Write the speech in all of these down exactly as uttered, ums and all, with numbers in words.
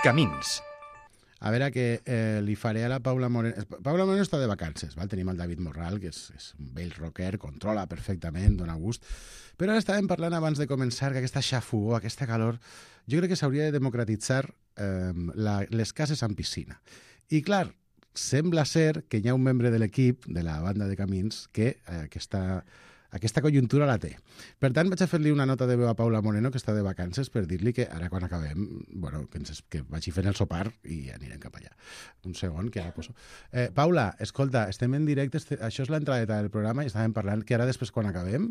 Camins. A veure que eh, li faré a la Paula Moreno. Paula Moreno està de vacances, val? Tenim el David Morral, que és, és un vell rocker, controla perfectament, dona gust. Però ara estàvem parlant abans de començar que aquesta xafogor, aquesta calor, jo crec que s'hauria de democratitzar eh, la, les cases amb piscina. I clar, sembla ser que hi ha un membre de l'equip, de la banda de Camins, que eh, aquesta... aquesta conjuntura la té. Per tant, vaig a fer-li una nota de veu a Paula Moreno, que està de vacances, per dir-li que ara quan acabem, bueno, que, ens, que vagi fent el sopar i anirem cap allà. Un segon, que ara poso. Eh, Paula, escolta, estem en directe, este, això és l'entradeta del programa i estàvem parlant que ara després, quan acabem,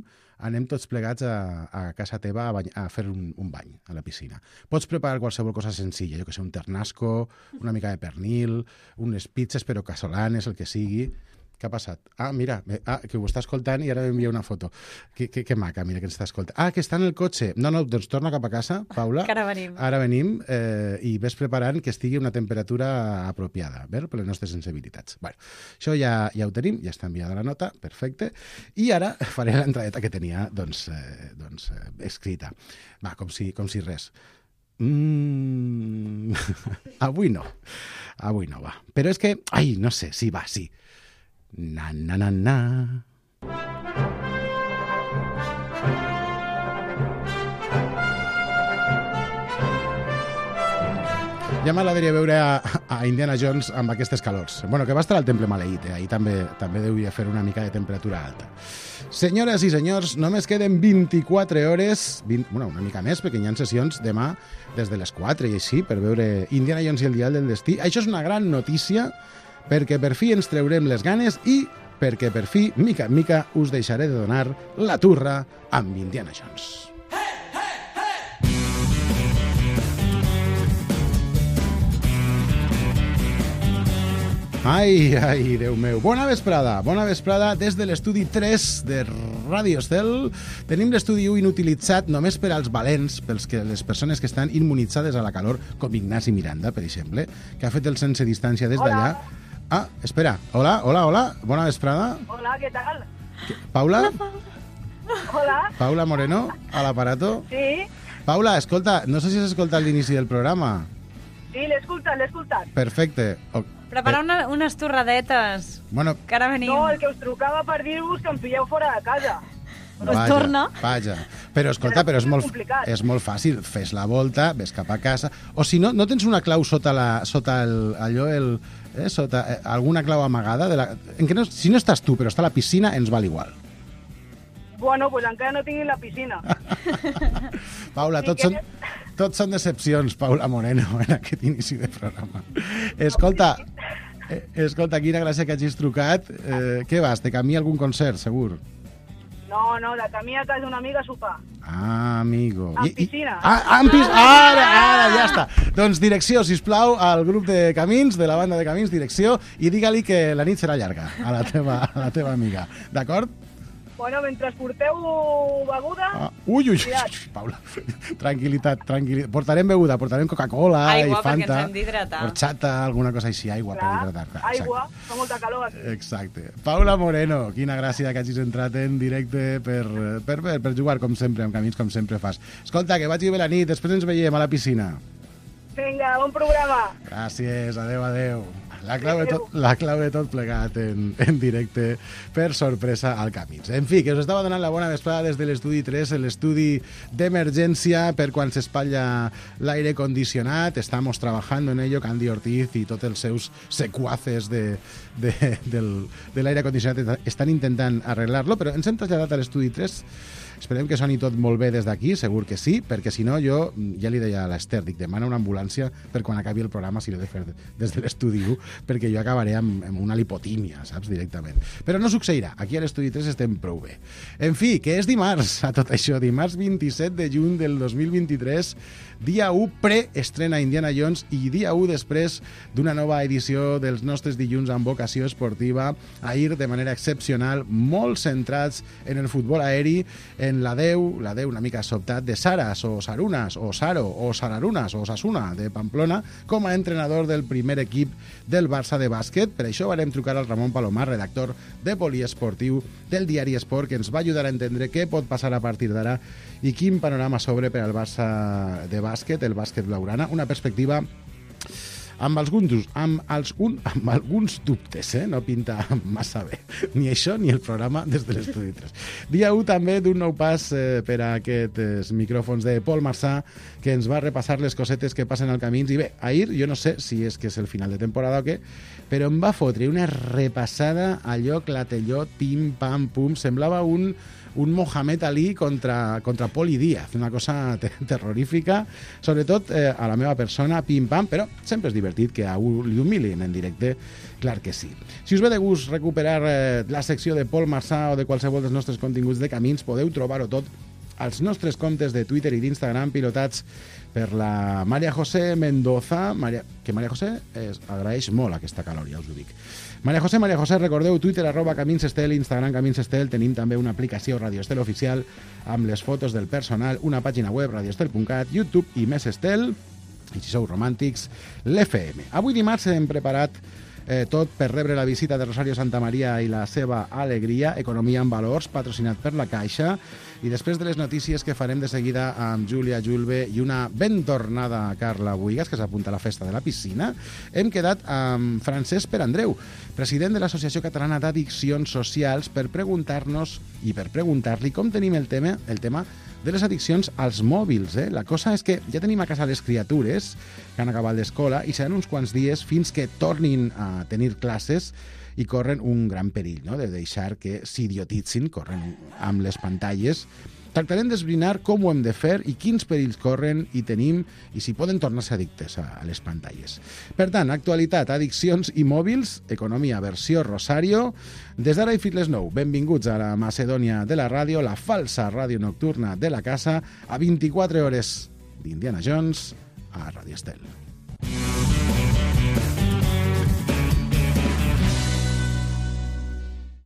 anem tots plegats a, a casa teva a, bany, a fer un, un bany a la piscina. Pots preparar qualsevol cosa senzilla, jo que sé, un ternasco, una mica de pernil, unes pizzas però casolanes, el que sigui. Què ha passat? Ah, mira, ah, que ho està escoltant i ara m'envia una foto. Que, que, que maca, mira, que ens està escoltant. Ah, que està en el cotxe. No, no, doncs torna cap a casa, Paula. Que ara venim. Ara venim eh, i ves preparant que estigui una temperatura apropiada, ver, per les nostres sensibilitats. Bueno, això ja, ja ho tenim, ja està enviada la nota, perfecte. I ara faré l'entradeta que tenia, doncs, eh, doncs eh, escrita. Va, com si, com si res. Mm... Avui no. Avui no, va. Però és que... Ai, no sé, sí, va, sí. Na, na, na, na. Ja m'agradaria veure a, a Indiana Jones amb aquestes calors. Bueno, que va estar al Temple Maleït, eh? Ahir també, també deuria fer una mica de temperatura alta. Senyores i senyors, només queden vint-i-quatre hores, vint, bueno, una mica més, perquè hi ha sessions demà des de les quatre i així, per veure Indiana Jones i el Dial del Destí. Això és una gran notícia, perquè per fi ens treurem les ganes i perquè per fi, mica en mica, us deixaré de donar la turra amb Indiana Jones. Ai, ai, Déu meu. Bona vesprada, bona vesprada des de l'estudi tres de Ràdio Estel. Tenim l'estudi u inutilitzat només per als valents, pels que les persones que estan immunitzades a la calor, com Ignasi Miranda, per exemple, que ha fet el sense distància des d'allà. Ah, espera. Hola, hola, hola. Bona vesprada. Hola, ¿qué tal? Paula? Hola. Paula Moreno, a l'aparato. Sí. Paula, escolta, no sé si has escoltat l'inici del programa. Sí, l'he escoltat, l'he escoltat. Perfecte. O- Prepara una, unes torradetes, Bueno, que ara venim. No, el que us trucava per dir-vos que em pilleu fora de casa. Pues torna. Vaja. Però escolta, però és molt, complicat. és molt fàcil. Fes la volta, ves cap a casa. O si no, no tens una clau sota la, sota el, allò, el, eh, sota eh, alguna clau amagada? De la, en que no, si no estàs tu, però està a la piscina, ens val igual. Bueno, pues encara no tinc la piscina. Paula, Si tots són, quieres- tots són decepcions, Paula Moreno, en aquest inici de programa. Escolta, eh, escolta, quina gràcia que hagis trucat. Eh, què vas, de camí a algun concert, segur? No, no, de camí a casa d'una amiga a sopar. Ah, amigo. Amb piscina. Ah, amb piscina. Ara, ara, ja està. Doncs direcció, sisplau, al grup de Camins, de la banda de Camins, direcció, i digue-li que la nit serà llarga a la teva, a la teva amiga. D'acord? Bueno, mentre porteu beguda... Ah, ui, ui, ui, Cuidat. Paula, tranquil·litat, tranquil·litat. Portarem beguda, portarem Coca-Cola i Aigua, perquè Fanta. ens hem d'hidratar. Horchata, alguna cosa així, aigua per clar, hidratar. Clar, aigua, fa molta calor aquí. Exacte. Paula Moreno, quina gràcia que hagis entrat en directe per, per, per, per jugar com sempre, amb Camins com sempre fas. Escolta, que vagi bé la nit, després ens veiem a la piscina. Vinga, bon programa. Gràcies, adeu, adeu. La clau de tot, la clau de tot plegat en, en directe per sorpresa al Camins. En fi, que us estava donant la bona vesprada des de l'estudi tres, l'estudi d'emergència per quan s'espatlla l'aire condicionat. Estamos trabajando en ello, Candy Ortiz i tots els seus secuaces de, de, del, de l'aire condicionat estan intentant arreglar-lo, però ens hem traslladat a l'estudi tres. Esperem que soni tot molt bé des d'aquí, segur que sí, perquè si no jo, ja li deia a l'Ester, dic, demana una ambulància per quan acabi el programa si l'he de fer des de l'estudi u, perquè jo acabaré amb, amb una lipotímia, saps, directament. Però no succeirà, aquí a l'estudi tres estem prou bé. En fi, que és dimarts, a tot això, dimarts vint-i-set de juny del dos mil vint-i-tres, dia u pre-estrena Indiana Jones i dia u després d'una nova edició dels nostres dilluns amb vocació esportiva, ahir de manera excepcional, molt centrats en el futbol aeri, en la Déu, la Déu una mica sobtat de Saras o Sarunas o Saro o Sararunas o Sasuna de Pamplona com a entrenador del primer equip del Barça de bàsquet. Per això varem trucar al Ramon Palomar, redactor de Poliesportiu del diari Esport, que ens va ajudar a entendre què pot passar a partir d'ara i quin panorama s'obre per al Barça de bàsquet, el bàsquet blaugrana, una perspectiva amb alguns, amb, els, un, amb alguns dubtes, eh? No pinta massa bé, ni això ni el programa des de l'Estudi tres. Dia u també d'un nou pas eh, per a aquests micròfons de Pol Marsà, que ens va repassar les cosetes que passen al camins. I bé, ahir, jo no sé si és que és el final de temporada o què, però em va fotre una repassada allò clatellot, pim, pam, pum, semblava un, un Mohamed Ali contra, contra Poli Díaz, una cosa te terrorífica, sobretot eh, a la meva persona, pim, pam, però sempre és divertit que a un li humilin en directe, clar que sí. Si us ve de gust recuperar eh, la secció de Pol Marsà o de qualsevol dels nostres continguts de camins, podeu trobar-ho tot als nostres comptes de Twitter i d'Instagram, pilotats per la Maria José Mendoza, Maria, que Maria José es, agraeix molt aquesta calor, ja us ho dic. Maria José, Maria José, recordeu, Twitter, arroba Camins Estel, Instagram Camins Estel, tenim també una aplicació Radio Estel oficial amb les fotos del personal, una pàgina web, radioestel punt cat, YouTube i més Estel, i si sou romàntics, l'F M. Avui dimarts hem preparat Eh, tot per rebre la visita de Rosario Santamaría i la seva alegria, Economia en Valors, patrocinat per la Caixa, i després de les notícies que farem de seguida amb Júlia Julve i una ben tornada Carla Buigas, que s'apunta a la festa de la piscina, hem quedat amb Francesc Perandreu, president de l'Associació Catalana d'Addiccions Socials, per preguntar-nos i per preguntar-li com tenim el tema, el tema de les addiccions als mòbils. Eh? La cosa és que ja tenim a casa les criatures que han acabat l'escola i seran uns quants dies fins que tornin a tenir classes i corren un gran perill, no?, de deixar que s'idiotitzin, corren amb les pantalles. Tractarem d'esbrinar com ho hem de fer i quins perills corren i tenim i si poden tornar-se addictes a, a les pantalles. Per tant, actualitat, addiccions i mòbils, economia versió Rosario. Des d'ara i fins les nou, benvinguts a la Macedònia de la ràdio, la falsa ràdio nocturna de la casa, a vint-i-quatre hores d'Indiana Jones a Radio Estel.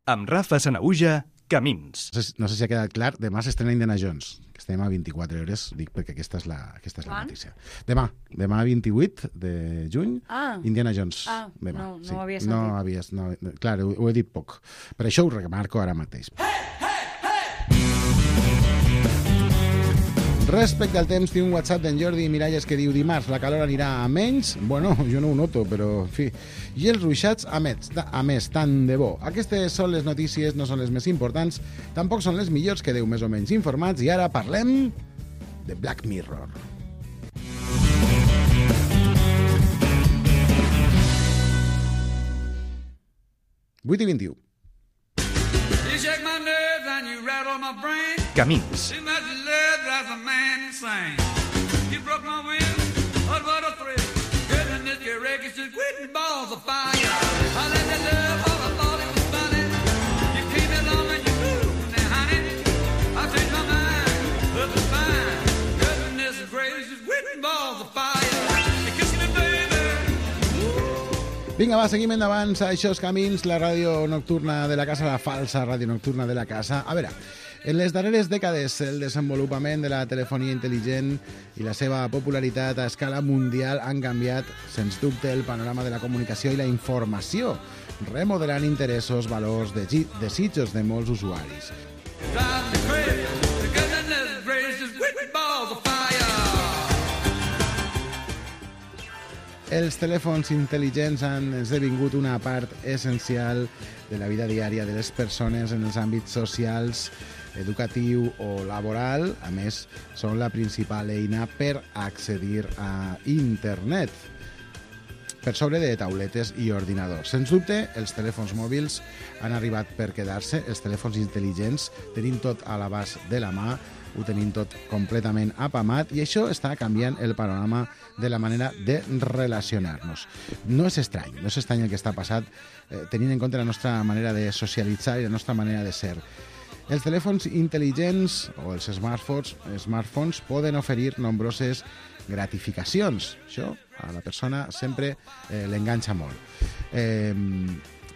Amb Rafa Sanaüja, Camins. No sé, no sé si ha quedat clar, demà s'estrena Indiana Jones, que estem a vint-i-quatre hores, dic perquè aquesta és la, aquesta és la notícia. Demà, demà vint-i-vuit de juny, ah. Indiana Jones. Ah, demà. no, no sí. ho havia sentit. No havies, no, clar, ho, ho he dit poc. Per això ho remarco ara mateix. Hey, hey, hey! Respecte al temps, tinc un WhatsApp d'en Jordi Miralles que diu: dimarts la calor anirà a menys. Bueno, jo no ho noto, però en fi. I els ruixats a més, a més, tant de bo. Aquestes són les notícies, no són les més importants, tampoc són les millors, quedeu més o menys informats, i ara parlem de Black Mirror. vuit i vint-i-u. Camins. Vinga, va, seguim endavant. Això és Camins, la ràdio nocturna de la casa, la falsa ràdio nocturna de la casa. A veure, en les darreres dècades el desenvolupament de la telefonia intel·ligent i la seva popularitat a escala mundial han canviat, sens dubte, el panorama de la comunicació i la informació, remodelant interessos, valors, desitjos de molts usuaris. Els telèfons intel·ligents han esdevingut una part essencial de la vida diària de les persones en els àmbits socials, educatiu o laboral. A més, són la principal eina per accedir a internet, per sobre de tauletes i ordinadors. Sens dubte, els telèfons mòbils han arribat per quedar-se. Els telèfons intel·ligents tenim tot a l'abast de la mà, ho tenim tot completament apamat, i això està canviant el panorama de la manera de relacionar-nos. No és estrany, no és estrany el que està passat, eh, tenint en compte la nostra manera de socialitzar i la nostra manera de ser. Els telèfons intel·ligents o els smartphones, smartphones poden oferir nombroses gratificacions. Això a la persona sempre eh, l'enganxa molt. Eh,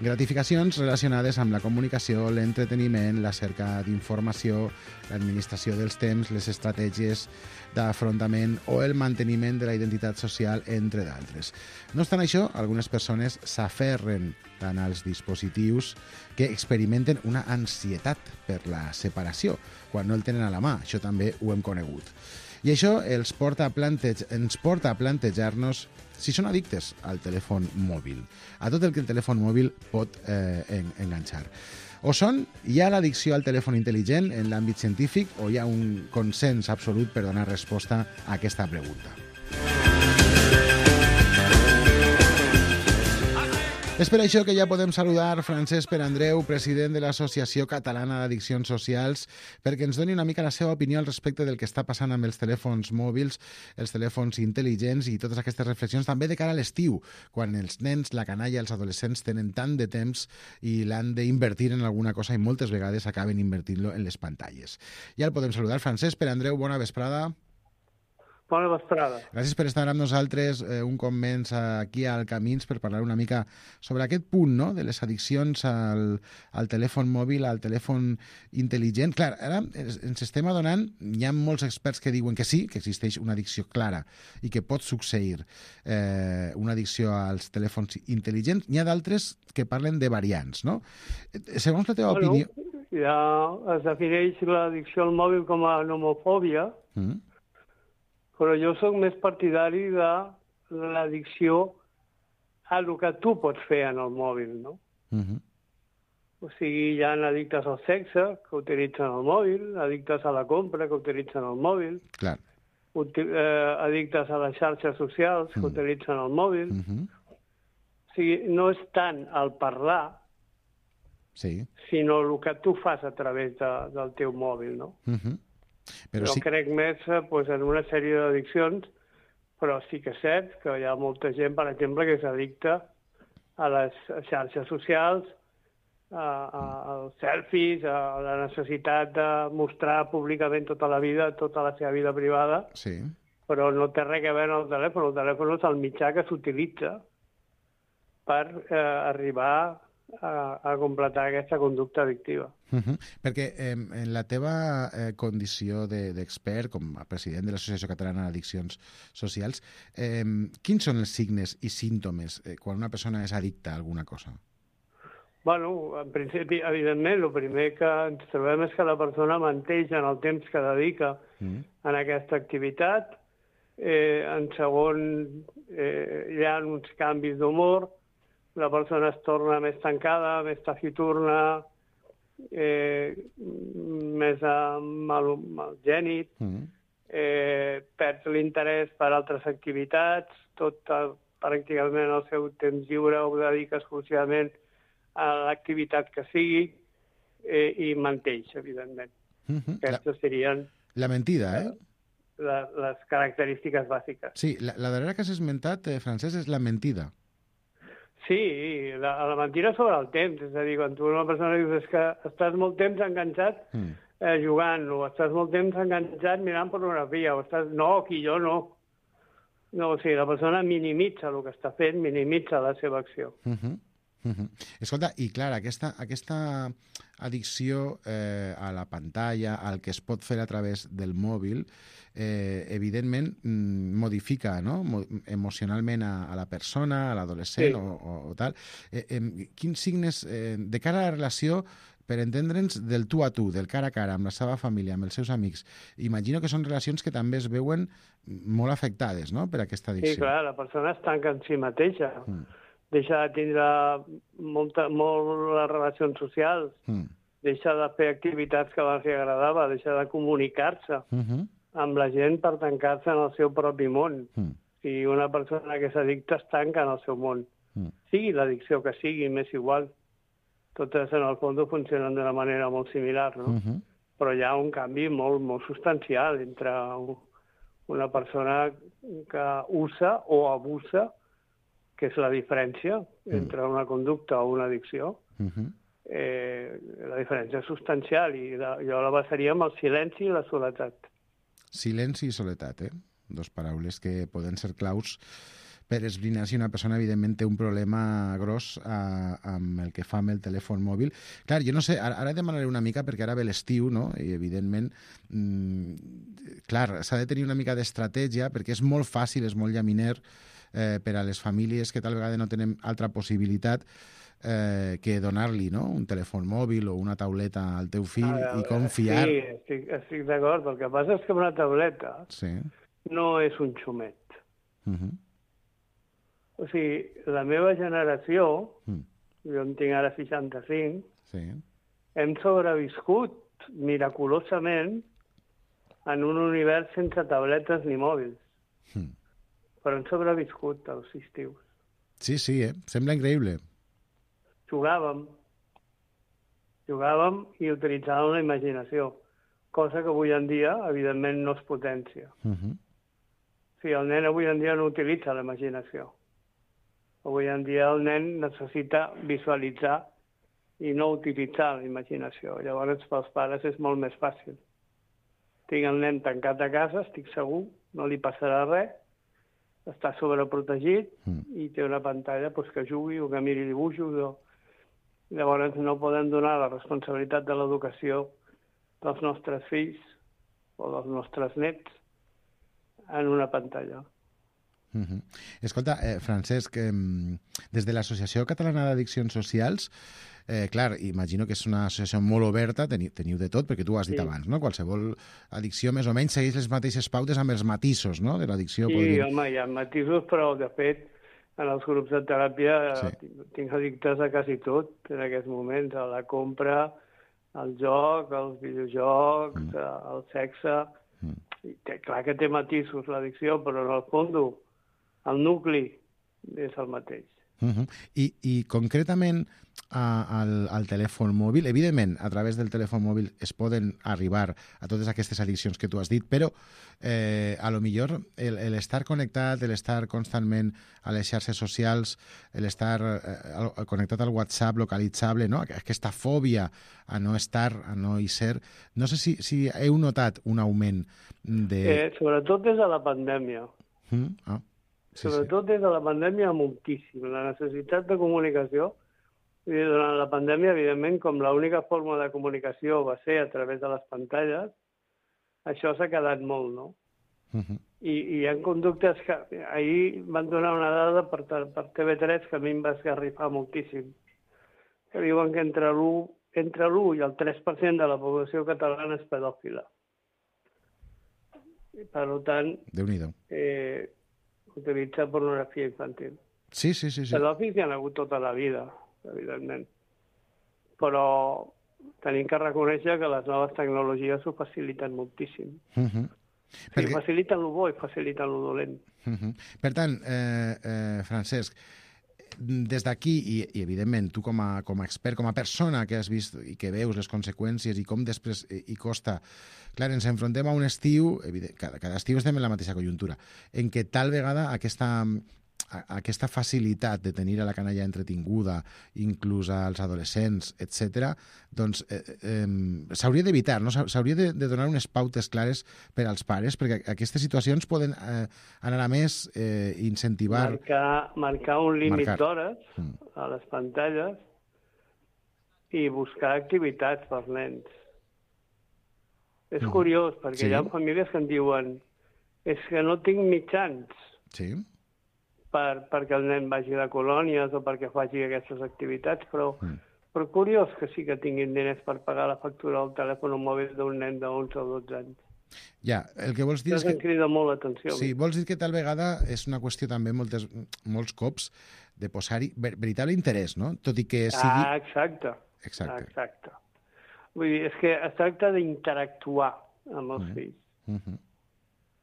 gratificacions relacionades amb la comunicació, l'entreteniment, la cerca d'informació, l'administració dels temps, les estratègies d'afrontament o el manteniment de la identitat social, entre d'altres. No obstant això, algunes persones s'aferren tant als dispositius que experimenten una ansietat per la separació quan no el tenen a la mà. Això també ho hem conegut. I això els porta a plantege, ens porta a plantejar-nos si són addictes al telèfon mòbil, a tot el que el telèfon mòbil pot eh, en, enganxar. O són, hi ha l'addicció al telèfon intel·ligent en l'àmbit científic o hi ha un consens absolut per donar resposta a aquesta pregunta? És per això que ja podem saludar Francesc Perandreu, president de l'Associació Catalana d'Addiccions Socials, perquè ens doni una mica la seva opinió al respecte del que està passant amb els telèfons mòbils, els telèfons intel·ligents i totes aquestes reflexions, també de cara a l'estiu, quan els nens, la canalla, els adolescents tenen tant de temps i l'han d'invertir en alguna cosa i moltes vegades acaben invertint-lo en les pantalles. Ja el podem saludar. Francesc Perandreu, bona vesprada. Bona vesprada. Gràcies per estar amb nosaltres eh, un cop menys aquí al Camins per parlar una mica sobre aquest punt, no?, de les addiccions al, al telèfon mòbil, al telèfon intel·ligent. Clar, ara ens estem adonant, hi ha molts experts que diuen que sí, que existeix una addicció clara i que pot succeir eh, una addicció als telèfons intel·ligents. N'hi ha d'altres que parlen de variants, no? Segons la teva bueno, opinió... Ja es defineix l'addicció al mòbil com a nomofòbia, mm. però jo sóc més partidari de l'addicció a el que tu pots fer en el mòbil, no? Uh-huh. O sigui, hi ha addictes al sexe que utilitzen el mòbil, addictes a la compra que utilitzen el mòbil, Clar. Uti- eh, addictes a les xarxes socials que uh-huh. utilitzen el mòbil. Uh-huh. O sigui, no és tant el parlar, sí. sinó el que tu fas a través de, del teu mòbil, no? Uh-huh. Però jo sí... crec més pues, en una sèrie d'addiccions, però sí que és cert que hi ha molta gent, per exemple, que s'addicta a les xarxes socials, a, a, als selfies, a la necessitat de mostrar públicament tota la vida, tota la seva vida privada, sí. però no té res a veure amb el telèfon. El telèfon és el mitjà que s'utilitza per eh, arribar a, a completar aquesta conducta addictiva. Uh-huh. Perquè eh, en la teva eh, condició d'expert, de, com a president de l'Associació Catalana d'Addiccions Socials, eh, quins són els signes i símptomes eh, quan una persona és addicta a alguna cosa? Bueno, en principi, evidentment, el primer que ens trobem és que la persona menteix en el temps que dedica mm. en aquesta activitat. Eh, en segon, eh, hi ha uns canvis d'humor, la persona es torna més tancada, més taciturna, eh, més uh, mal, malgènit, mm. eh, perd l'interès per altres activitats, tot uh, pràcticament el seu temps lliure ho dedica exclusivament a l'activitat que sigui eh, i menteix, evidentment. Mm-hmm. Aquestes serien... La mentida, eh? La, les característiques bàsiques. Sí, la, la darrera que has esmentat, eh, Francesc, és la mentida. Sí, la, la mentida sobre el temps. És a dir, quan tu una persona dius és que estàs molt temps enganxat mm. eh, jugant, o estàs molt temps enganxat mirant pornografia, o estàs... No, aquí jo no. No, o sigui, la persona minimitza el que està fent, minimitza la seva acció. Mm-hmm. Mm-hmm. Escolta, i clar, aquesta, aquesta addicció eh, a la pantalla, al que es pot fer a través del mòbil, eh, evidentment mm, modifica, no?, Mo emocionalment a, a la persona, a l'adolescent, sí. o, o, o tal. Eh, eh, quins signes, eh, de cara a la relació, per entendre'ns, del tu a tu, del cara a cara, amb la seva família, amb els seus amics, imagino que són relacions que també es veuen molt afectades, no?, per aquesta addicció. Sí, clar, la persona es tanca en si mateixa. Mm. Deixa de tindre molta, molt les relacions socials, mm. deixa de fer activitats que abans li agradava, deixa de comunicar-se mm-hmm. amb la gent per tancar-se en el seu propi món. Mm. Si una persona que s'addicta es tanca en el seu món, mm. sigui l'addicció que sigui, m'és igual, totes en el fons funcionen d'una manera molt similar, no? Mm-hmm. Però hi ha un canvi molt, molt substancial entre una persona que usa o abusa, que és la diferència entre una conducta o una addicció. Uh-huh. eh, la diferència és substancial i la, jo la basaria amb el silenci i la soledat. Silenci i soledat, eh? Dos paraules que poden ser claus per esbrinar si una persona, evidentment, té un problema gros a, amb el que fa amb el telèfon mòbil. Clar, jo no sé, ara, ara demanaré una mica, perquè ara ve l'estiu, no?, i, evidentment, mmm, clar, s'ha de tenir una mica d'estratègia, perquè és molt fàcil, és molt llaminer, eh, per a les famílies que tal vegada no tenen altra possibilitat eh, que donar-li, no?, un telèfon mòbil o una tauleta al teu fill Ah, i confiar... Sí, estic, estic d'acord. El que passa és que una tauleta Sí. no és un xumet. Uh -huh. O sigui, la meva generació, Mm. jo en tinc ara seixanta-cinc, Sí. hem sobreviscut miraculosament en un univers sense tabletes ni mòbils. Mm. Però hem sobreviscut als estius. Sí, sí, eh? Sembla increïble. Jugàvem. Jugàvem i utilitzàvem la imaginació, cosa que avui en dia, evidentment, no es potència. Uh -huh. O sigui, el nen avui en dia no utilitza la imaginació. Avui en dia el nen necessita visualitzar i no utilitzar la imaginació. Llavors, pels pares és molt més fàcil. Tinc el nen tancat a casa, estic segur, no li passarà res, està sobreprotegit Mm. i té una pantalla doncs, que jugui o que miri dibuixos. O... Llavors no podem donar la responsabilitat de l'educació dels nostres fills o dels nostres nets en una pantalla. Uh -huh. Escolta, eh, Francesc, eh, des de l'Associació Catalana d'Addiccions Socials, eh, clar, imagino que és una associació molt oberta, teniu, teniu de tot, perquè tu ho has dit Sí. abans, no? Qualsevol addicció més o menys segueix les mateixes pautes amb els matisos, no?, de l'addicció. Sí, podríem... home, hi ha matisos, però de fet en els grups de teràpia Sí. sí. tinc addictes a quasi tot en aquests moments, a la compra, al joc, als videojocs, mm. al sexe. Mm. I té, clar que té matisos l'addicció, però en el fons el nucli és el mateix. Uh -huh. I, I concretament a, al, al telèfon mòbil, evidentment a través del telèfon mòbil es poden arribar a totes aquestes addiccions que tu has dit, però eh, a lo millor l'estar connectat, l'estar constantment a les xarxes socials, l'estar eh, connectat al WhatsApp localitzable, no?, aquesta fòbia a no estar, a no hi ser, no sé si, si heu notat un augment de... Eh, sobretot des de la pandèmia. Mm? Ah. Sí, Sobretot sí. Des de la pandèmia moltíssim. La necessitat de comunicació, i durant la pandèmia, evidentment, com l'única forma de comunicació va ser a través de les pantalles, això s'ha quedat molt, no? Uh -huh. I, I hi ha conductes que... Ahir van donar una dada per, per T V tres que a mi em va esgarrifar moltíssim, que diuen que entre l'u entre l'u i el tres per cent de la població catalana és pedòfila. I, per tant... Déu-n'hi-do. Eh, utilitza pornografia infantil. Sí, sí, sí. sí. Pedòfils hi ha hagut tota la vida, evidentment. Però tenim que reconèixer que les noves tecnologies ho faciliten moltíssim. Uh -huh. O sigui, Perquè... faciliten lo bo i faciliten lo dolent. Uh -huh. Per tant, eh, eh, Francesc, des d'aquí, i, i evidentment tu com a, com a expert, com a persona que has vist i que veus les conseqüències i com després hi costa, clar, ens enfrontem a un estiu, evident, cada, cada estiu estem en la mateixa conjuntura, en què tal vegada aquesta, aquesta facilitat de tenir a la canalla entretinguda, inclús als adolescents, etcètera, doncs eh, eh, s'hauria d'evitar, no? S'hauria de, de donar unes pautes clares per als pares, perquè aquestes situacions poden eh, anar a més, eh, incentivar... Marcar, marcar un límit d'hores mm. a les pantalles i buscar activitats pels nens. És mm. curiós, perquè sí. hi ha famílies que em diuen és que no tinc mitjans. Sí. Per, perquè el nen vagi de colònies o perquè faci aquestes activitats, però, mm. però curiós que sí que tinguin diners per pagar la factura del telèfon mòbil d'un nen d'onze o dotze anys. Ja, el que vols dir Això és que... em crida molt l'atenció. Sí, vols dir que tal vegada és una qüestió també moltes, molts cops de posar-hi ver veritable interès, no? Tot i que sigui... Ah, exacte. Exacte. Exacte. Vull dir, és que es tracta d'interactuar amb els mm. fills. Uh -huh.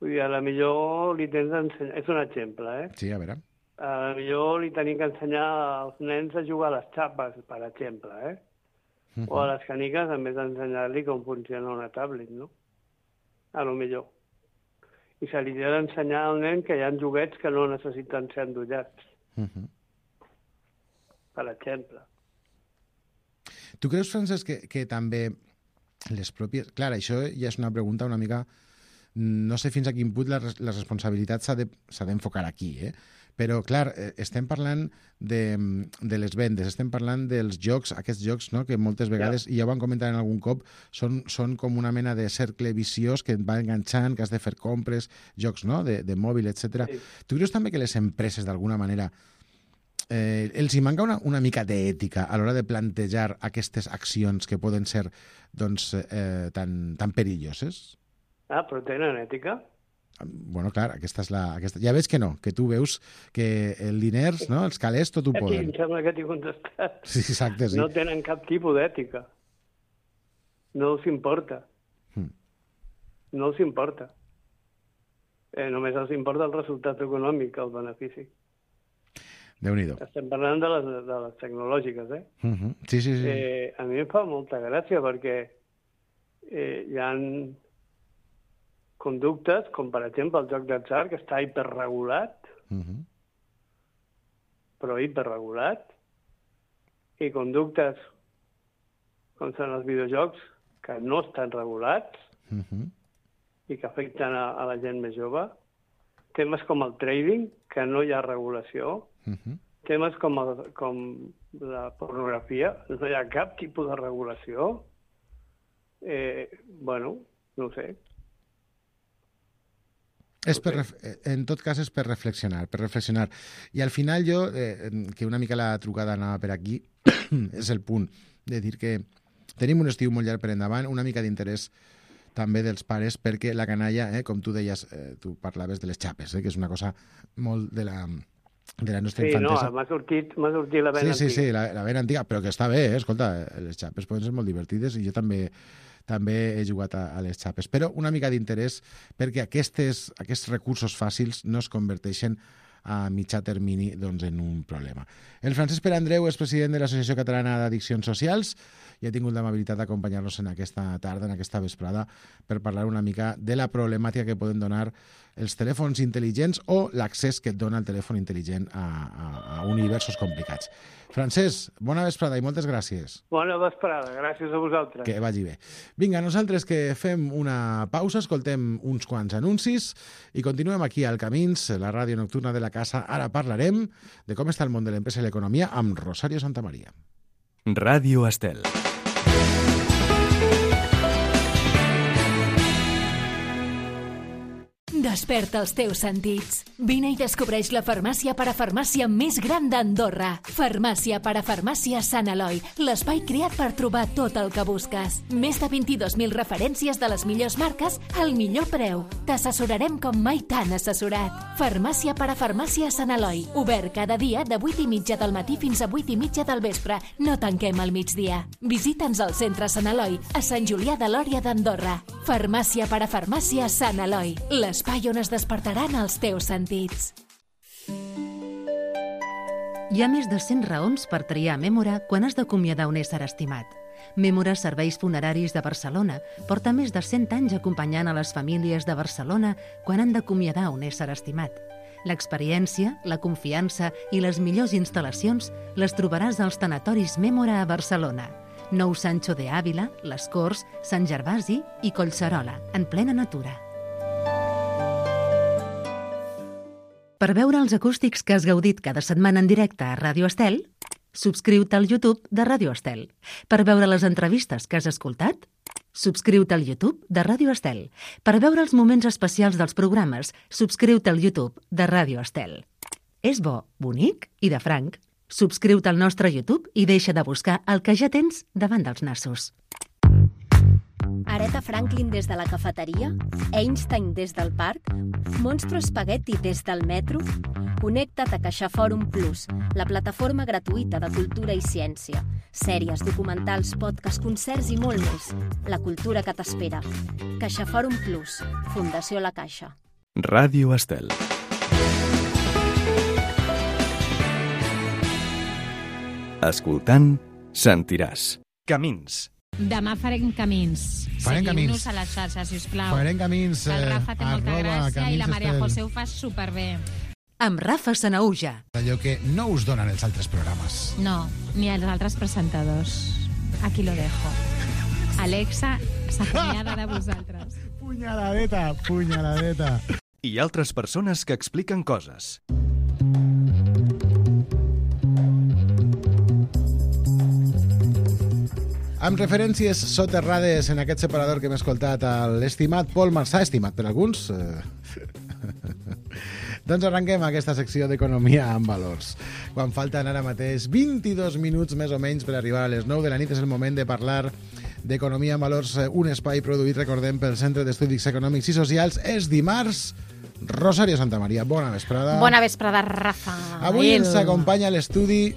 Vull dir, a la millor li tens d'ensenyar... És un exemple, eh? Sí, a veure. A la millor li tenim que ensenyar als nens a jugar a les xapes, per exemple, eh? Uh -huh. O a les caniques, a més d'ensenyar-li com funciona una tablet, no? A lo millor. I se li ha d'ensenyar al nen que hi ha joguets que no necessiten ser endollats. Uh -huh. Per exemple. Tu creus, Francesc, que, que també les pròpies... Clar, això ja és una pregunta una mica no sé fins a quin punt la, la responsabilitat s'ha de, s'ha d'enfocar aquí, eh? Però, clar, estem parlant de, de les vendes, estem parlant dels jocs, aquests jocs, no?, que moltes vegades, ja. i ja ho han comentat en algun cop, són, són com una mena de cercle viciós que et va enganxant, que has de fer compres, jocs, no?, de, de mòbil, etcètera. Sí. Tu creus també que les empreses, d'alguna manera, eh, els hi manca una, una mica d'ètica a l'hora de plantejar aquestes accions que poden ser, doncs, eh, tan, tan perilloses? Ah, però tenen ètica? Bueno, clar, aquesta és la... Aquesta... Ja veig que no, que tu veus que el diners, no?, els calés, tot ho poden. Aquí em sembla que t'he contestat. Sí, exacte, sí. No tenen cap tipus d'ètica. No els importa. Hmm. No els importa. Eh, només els importa el resultat econòmic, el benefici. Déu-n'hi-do. Estem parlant de les, de les tecnològiques, eh? Uh-huh. Sí, sí, sí. Eh, a mi em fa molta gràcia perquè eh, hi ha conductes, com per exemple el joc d'atzar, que està hiperregulat, uh-huh. però hiperregulat, i conductes com són els videojocs que no estan regulats uh-huh. i que afecten a, a la gent més jove. Temes com el trading, que no hi ha regulació. Uh-huh. Temes com, el, com la pornografia, no hi ha cap tipus de regulació. Eh, bueno, no ho sé. És per, en tot cas és per reflexionar, per reflexionar. I al final jo, eh, que una mica la trucada anava per aquí, és el punt de dir que tenim un estiu molt llarg per endavant, una mica d'interès també dels pares, perquè la canalla, eh, com tu deies, eh, tu parlaves de les xapes, eh, que és una cosa molt de la, de la nostra sí, infantesa. Sí, no, m'ha sortit, m'ha sortit la vena sí, antiga. Sí, sí, la, la vena antiga, però que està bé, eh, escolta, les xapes poden ser molt divertides i jo també... també he jugat a, a les xapes. Però una mica d'interès perquè aquestes, aquests recursos fàcils no es converteixen a mitjà termini doncs, en un problema. El Francesc Pere Andreu és president de l'Associació Catalana d'Addiccions Socials i ha tingut l'amabilitat d'acompanyar-nos en aquesta tarda, en aquesta vesprada, per parlar una mica de la problemàtica que poden donar els telèfons intel·ligents o l'accés que et dona el telèfon intel·ligent a, a, a universos complicats. Francesc, bona vesprada i moltes gràcies. Bona vesprada, gràcies a vosaltres. Que vagi bé. Vinga, nosaltres que fem una pausa, escoltem uns quants anuncis i continuem aquí al Camins, la ràdio nocturna de la casa. Ara parlarem de com està el món de l'empresa i l'economia amb Rosario Santamaría. Ràdio Estel. Desperta els teus sentits. Vine i descobreix la farmàcia parafarmàcia més gran d'Andorra. Farmàcia parafarmàcia Sant Eloi, l'espai creat per trobar tot el que busques. Més de vint-i-dos mil referències de les millors marques al millor preu. T'assessorarem com mai t'han assessorat. Farmàcia parafarmàcia Sant Eloi, obert cada dia de vuit i mitja del matí fins a vuit i mitja del vespre. No tanquem al migdia. Visita'ns al centre Sant Eloi, a Sant Julià de Lòria d'Andorra. Farmàcia parafarmàcia Sant Eloi, l'espai on es despertaran els teus sentits. Hi ha més de cent raons per triar Mémora quan has d'acomiadar un ésser estimat. Mémora Serveis Funeraris de Barcelona porta més de cent anys acompanyant a les famílies de Barcelona quan han d'acomiadar un ésser estimat. L'experiència, la confiança i les millors instal·lacions les trobaràs als tanatoris Mémora a Barcelona. Nou Sancho de Ávila, Les Corts, Sant Gervasi i Collserola, en plena natura. Per veure els acústics que has gaudit cada setmana en directe a Ràdio Estel, subscriu-te al YouTube de Ràdio Estel. Per veure les entrevistes que has escoltat, subscriu-te al YouTube de Ràdio Estel. Per veure els moments especials dels programes, subscriu-te al YouTube de Ràdio Estel. És bo, bonic i de franc. Subscriu-te al nostre YouTube i deixa de buscar el que ja tens davant dels nassos. Aretha Franklin des de la cafeteria? Einstein des del parc? Monstro Spaghetti des del metro? Connecta't a CaixaForum Plus, la plataforma gratuïta de cultura i ciència. Sèries, documentals, podcasts, concerts i molt més. La cultura que t'espera. CaixaForum Plus, Fundació La Caixa. Ràdio Estel. Escoltant, sentiràs. Camins. Demà farem camins. Farem Seguiu-nos camins. a les xarxes, sisplau. Farem camins. El Rafa té molta arroba gràcia i la Camins Maria Estel. José ho fa superbé. Amb Rafa Sanauja. Allò que no us donen els altres programes. No, ni els altres presentadors. Aquí lo dejo. Alexa s'acomiada de vosaltres. Punyaladeta, punyaladeta. I altres persones que expliquen coses. Amb referències soterrades en aquest separador que hem escoltat a l'estimat Pol Marçà, estimat per alguns. Doncs arrenquem aquesta secció d'Economia amb Valors. Quan falten ara mateix vint-i-dos minuts més o menys per arribar a les nou de la nit, és el moment de parlar d'Economia amb Valors, un espai produït, recordem, pel Centre d'Estudis Econòmics i Socials. És dimarts. Rosario Santamaria, bona vesprada. Bona vesprada, Rafa. Avui ens acompanya a l'estudi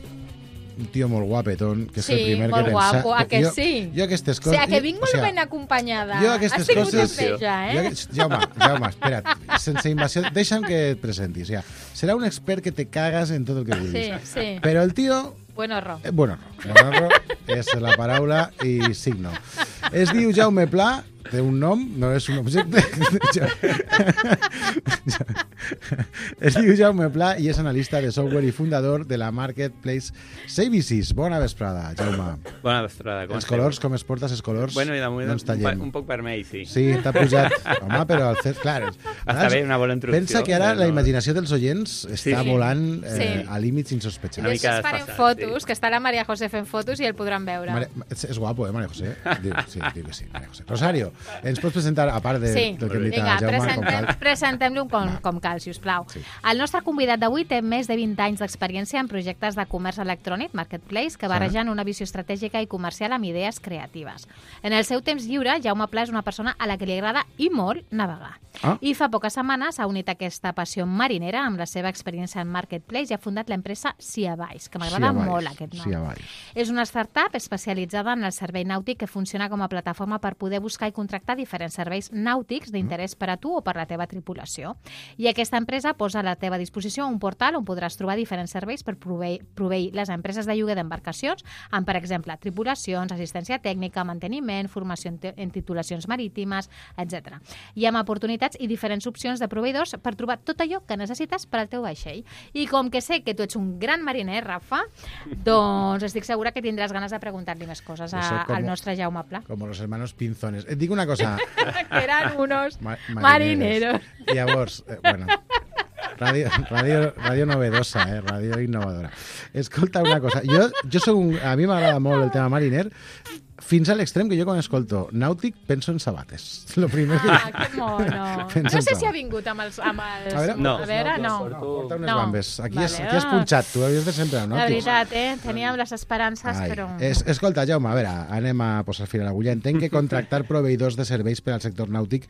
un tio molt guapetón, que és sí, el primer que pensa... pensa... Sí, molt guapo, a que jo, sí? Jo aquestes coses... O sigui, que vinc molt o sea, ben acompanyada. Jo aquestes Has tingut coses... enveja, eh? Jo, Jaume, Jaume, espera't, sense invasió, deixa'm que et presenti. O sea, serà un expert que te cagas en tot el que vulguis. Sí, sí. Però el tio... Buen horror. Eh, buen horror. Buen horror és la paraula i signo. Es diu Jaume Pla, té un nom, no és un objecte. Es diu Jaume Pla i és analista de software i fundador de la Marketplace Services. Bona vesprada, Jaume. Bona vesprada. Com els esteu? colors, com es portes els colors? Bueno, i de moment no ens un, tallem. un poc vermell, sí. Sí, t'ha pujat. Home, però el fet, clar... Està bé, una bona introducció. Pensa que ara però la no- imaginació dels oients està Sí. volant eh, Sí. a límits insospechats. Una mica Després farem desfasat, fotos, sí. que està la Maria José fent fotos i el podran veure. Maria, és, és guapo, eh, Maria José? Diu, sí, diu que sí, Maria José. Rosario, ens pots presentar, a part de, Sí, del que hem dit vinga, a Jaume, com presentem, cal? presentem-lo com, com cal, si us plau. Sí. El nostre convidat d'avui té més de vint anys d'experiència en projectes de comerç electrònic, Marketplace, que barregen una visió estratègica i comercial amb idees creatives. En el seu temps lliure, Jaume Pla és una persona a la que li agrada i molt navegar. Ah. I fa poques setmanes ha unit aquesta passió marinera amb la seva experiència en Marketplace i ha fundat l'empresa Siavais, que m'agrada Siavais, molt aquest nom. Siavais. És una startup especialitzada en el servei nàutic que funciona com a plataforma per poder buscar i contractar diferents serveis nàutics d'interès per a tu o per la teva tripulació. I aquesta empresa posa a la teva disposició un portal on podràs trobar diferents serveis per proveir, proveir les empreses de lloguer d'embarcacions amb, per exemple, tripulacions, assistència tècnica, manteniment, formació en, en titulacions marítimes, etcètera. I amb oportunitats i diferents opcions de proveïdors per trobar tot allò que necessites per al teu vaixell. I com que sé que tu ets un gran mariner, Rafa, doncs estic segura que tindràs ganes de preguntar-li més coses a, Eso como- al nostre Jaume Pla. Com los hermanos Pinzones. Et dic una cosa... que eran unos Ma- marineros. Llavors, eh, bueno, ràdio, ràdio, ràdio novedosa, eh? Ràdio innovadora. Escolta una cosa, jo, jo soc un, a mi m'agrada molt el tema mariner, fins a l'extrem que jo quan escolto nàutic penso en sabates. Lo primer que... Ah, que mono. Pensa No en sé tot. si ha vingut amb els... Amb els A veure, No. a veure no. No, porta unes No. bambes. Aquí, has, Vale, aquí has ah. punxat, tu havies de sempre amb La nàutics. veritat, eh? Teníem les esperances, Ai. però... Es, escolta, Jaume, a veure, anem a posar fil a l'agulla. Entenc que contractar proveïdors de serveis per al sector nàutic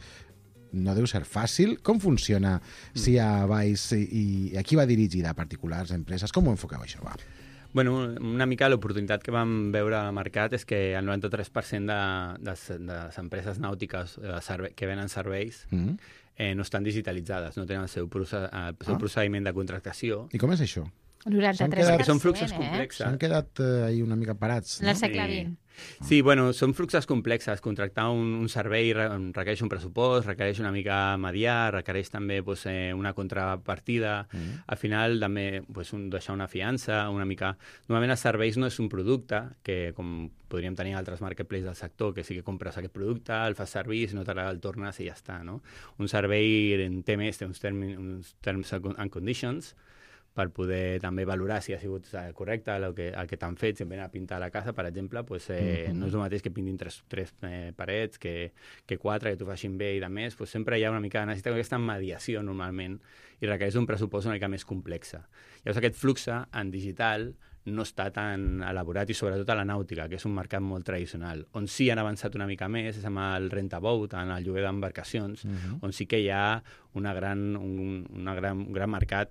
no deu ser fàcil. Com funciona si a Vais i, i a qui va dirigida? A particulars, empreses? Com ho enfoqueu, això? Va. Bueno, una mica l'oportunitat que vam veure al mercat és que el noranta-tres per cent de, de, de les empreses nàutiques de serve, que venen serveis Mm. eh, no estan digitalitzades, no tenen el seu, proce el seu Ah. procediment de contractació. I com és això? noranta-tres S'han per cent, Que són fluxos eh? complexos. S'han quedat eh, ahí una mica parats, En no? el segle Sí. vint. Sí, bueno, són fluxos complexes. Contractar un, un servei re, requereix un pressupost, requereix una mica mediar, requereix també pues, eh, una contrapartida. Mm. Al final, també pues, un, deixar una fiança, una mica... Normalment els serveis no és un producte, que com podríem tenir altres marketplaces del sector, que sí que compres aquest producte, el fas servir, si no t'agrada el tornes i ja està, no? Un servei en té més, té uns, termi, uns terms and conditions, per poder també valorar si ha sigut eh, correcte el que, el que t'han fet, si em venen a pintar la casa, per exemple, pues, eh, Mm-hmm. no és el mateix que pintin tres, tres eh, parets que, que quatre, que t'ho facin bé i de més, pues, sempre hi ha una mica de necessitat aquesta mediació normalment i requereix un pressupost una mica més complexa. Llavors aquest flux en digital no està tan elaborat i sobretot a la nàutica, que és un mercat molt tradicional. On sí han avançat una mica més és amb el rent-a-boat, en el lloguer d'embarcacions, Mhm. on sí que hi ha una gran, un, una gran, un gran mercat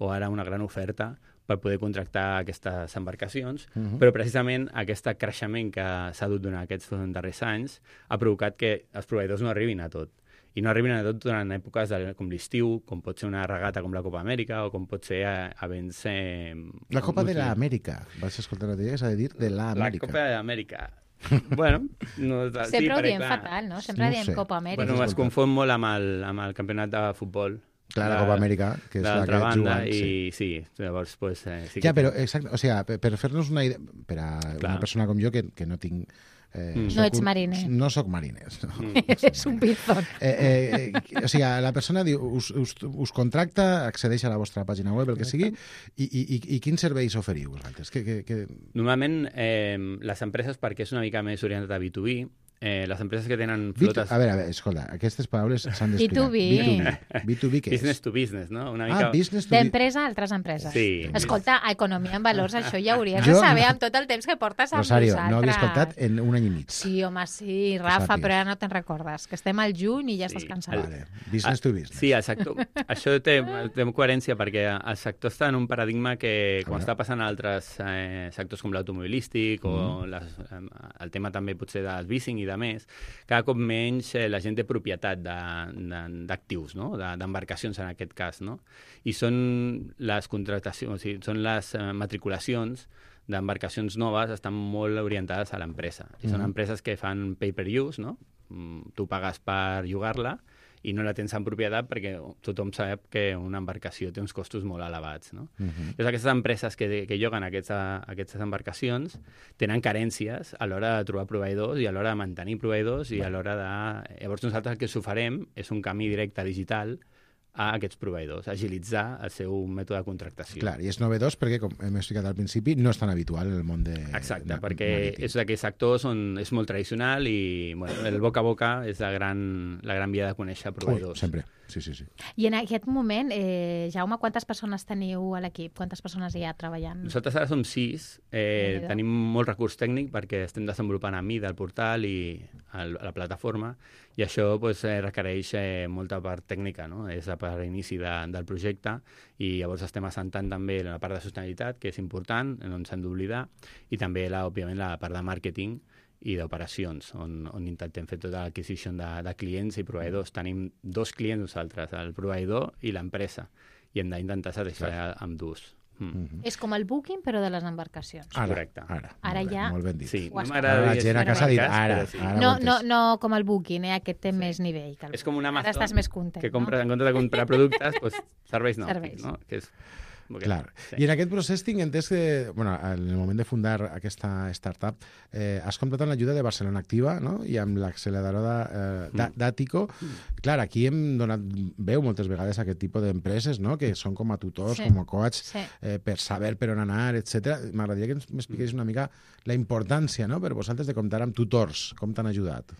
o ara una gran oferta per poder contractar aquestes embarcacions, Mhm. però precisament aquest creixement que s'ha dut durant aquests darrers anys ha provocat que els proveïdors no arribin a tot. I no arribin a tot durant èpoques de, com l'estiu, com pot ser una regata com la Copa Amèrica o com pot ser a, a events... Eh, La Copa com de es diu? l'Amèrica. Vas escoltar l'altre dia, s'ha de dir de La l'Amèrica. Copa d'Amèrica. Bueno, no, Sempre sí, ho perquè, diem clar, fatal, no? Sempre No diem sé. Copa Amèrica. Bueno, es escoltat. confon molt amb el, amb el campionat de futbol. Clar, la de- Copa Amèrica, que és de la que l'altra banda, juguen. Sí. i sí, llavors, pues, eh, sí Ja, que... però, exacte, o sigui, per, per fer-nos una idea, per a Clar. una persona com jo, que, que no tinc Eh, Mm. soc No ets un- mariner. No sóc mariner. No. Mm. És un pinzón. Eh, eh, eh, o sigui, la persona diu, us, us, us contracta, accedeix a la vostra pàgina web, el que sigui, i, i, i, i quins serveis oferiu vosaltres? Que, que, que... Normalment, eh, les empreses, perquè és una mica més orientat a B dos B, eh, les empreses que tenen B dos, flotes... a veure, a veure, escolta, aquestes paraules s'han d'explicar. B dos B. B dos B què és? Business to business, no? Una mica... Ah, business to D'empresa a altres empreses. Sí. Escolta, a Economia en Valors, això ja hauries Jo de saber no- amb tot el temps que portes amb Rosario, vosaltres. no havia escoltat en un any i mig. Sí, home, sí, Rafa, sàpigues. però ara no te'n recordes, que estem al juny i ja Sí. estàs cansat. Vale. Business to business. Sí, el sector. Això té, té coherència perquè el sector està en un paradigma que, com està passant a altres eh, sectors com l'automobilístic o Mm. les, eh, el tema també potser del leasing i de més, cada cop menys eh, la gent té propietat d'actius, no? d'embarcacions en aquest cas, no? I són les contractacions, o sigui, són les eh, matriculacions d'embarcacions noves estan molt orientades a l'empresa. I són Mhm. empreses que fan pay-per-use, no? Mm, Tu pagues per llogar-la i no la tens en propietat perquè tothom sap que una embarcació té uns costos molt elevats, no? Mhm. Llavors, aquestes empreses que, que lloguen aquests, aquestes embarcacions tenen carències a l'hora de trobar proveïdors i a l'hora de mantenir proveïdors i a l'hora de... Llavors, nosaltres el que us oferem és un camí directe digital a aquests proveïdors, agilitzar el seu mètode de contractació. Clar, i és novedós perquè, com hem explicat al principi, no és tan habitual en el món de... Exacte, ma- perquè marítim. és d'aquells sectors on és molt tradicional i bueno, el boca a boca és la gran, la gran via de conèixer Ui, proveïdors. sempre, sí, sí, sí. I en aquest moment, eh, Jaume, quantes persones teniu a l'equip? Quantes persones hi ha treballant? Nosaltres ara som sis, eh, Déu-n'hi-do. tenim molt recurs tècnic perquè estem desenvolupant a mida el portal i el, la plataforma i això pues, eh, requereix eh, molta part tècnica, no? És la part inici de, del projecte i llavors estem assentant també la part de sostenibilitat, que és important, no ens hem d'oblidar, i també, la, òbviament, la part de màrqueting i d'operacions, on, on intentem fer tota l'adquisició de, de clients i proveïdors. Tenim dos clients nosaltres, el proveïdor i l'empresa, i hem d'intentar satisfer amb dos. Mm. És com el booking, però de les embarcacions. Ara, Correcte. ara, Ara molt bé, ja- molt ben dit. Sí, Ho no has m'agrada Ara la dir gent a casa ha dit marques, ara, però sí. ara. No, ho he no, entès. no com el booking, eh? Aquest té més nivell. Que el És com un booking. Amazon Ara estàs més content, que compres, no? en comptes de comprar productes, doncs, serveis nàutics, Serveis. no? Que és... perquè- Clar. Sí. I en aquest procés tinc entès que, bueno, en el moment de fundar aquesta startup, eh, has comptat amb l'ajuda de Barcelona Activa, no? I amb l'acceleradora eh, Mm. d'A- d'Àtico. Clar, aquí hem donat veu moltes vegades a aquest tipus d'empreses, no? Que són com a tutors, Sí. com a coach, Sí. eh, per saber per on anar, etcètera. M'agradaria que ens m'expliqués una mica la importància, no?, per vosaltres de comptar amb tutors. Com t'han ajudat?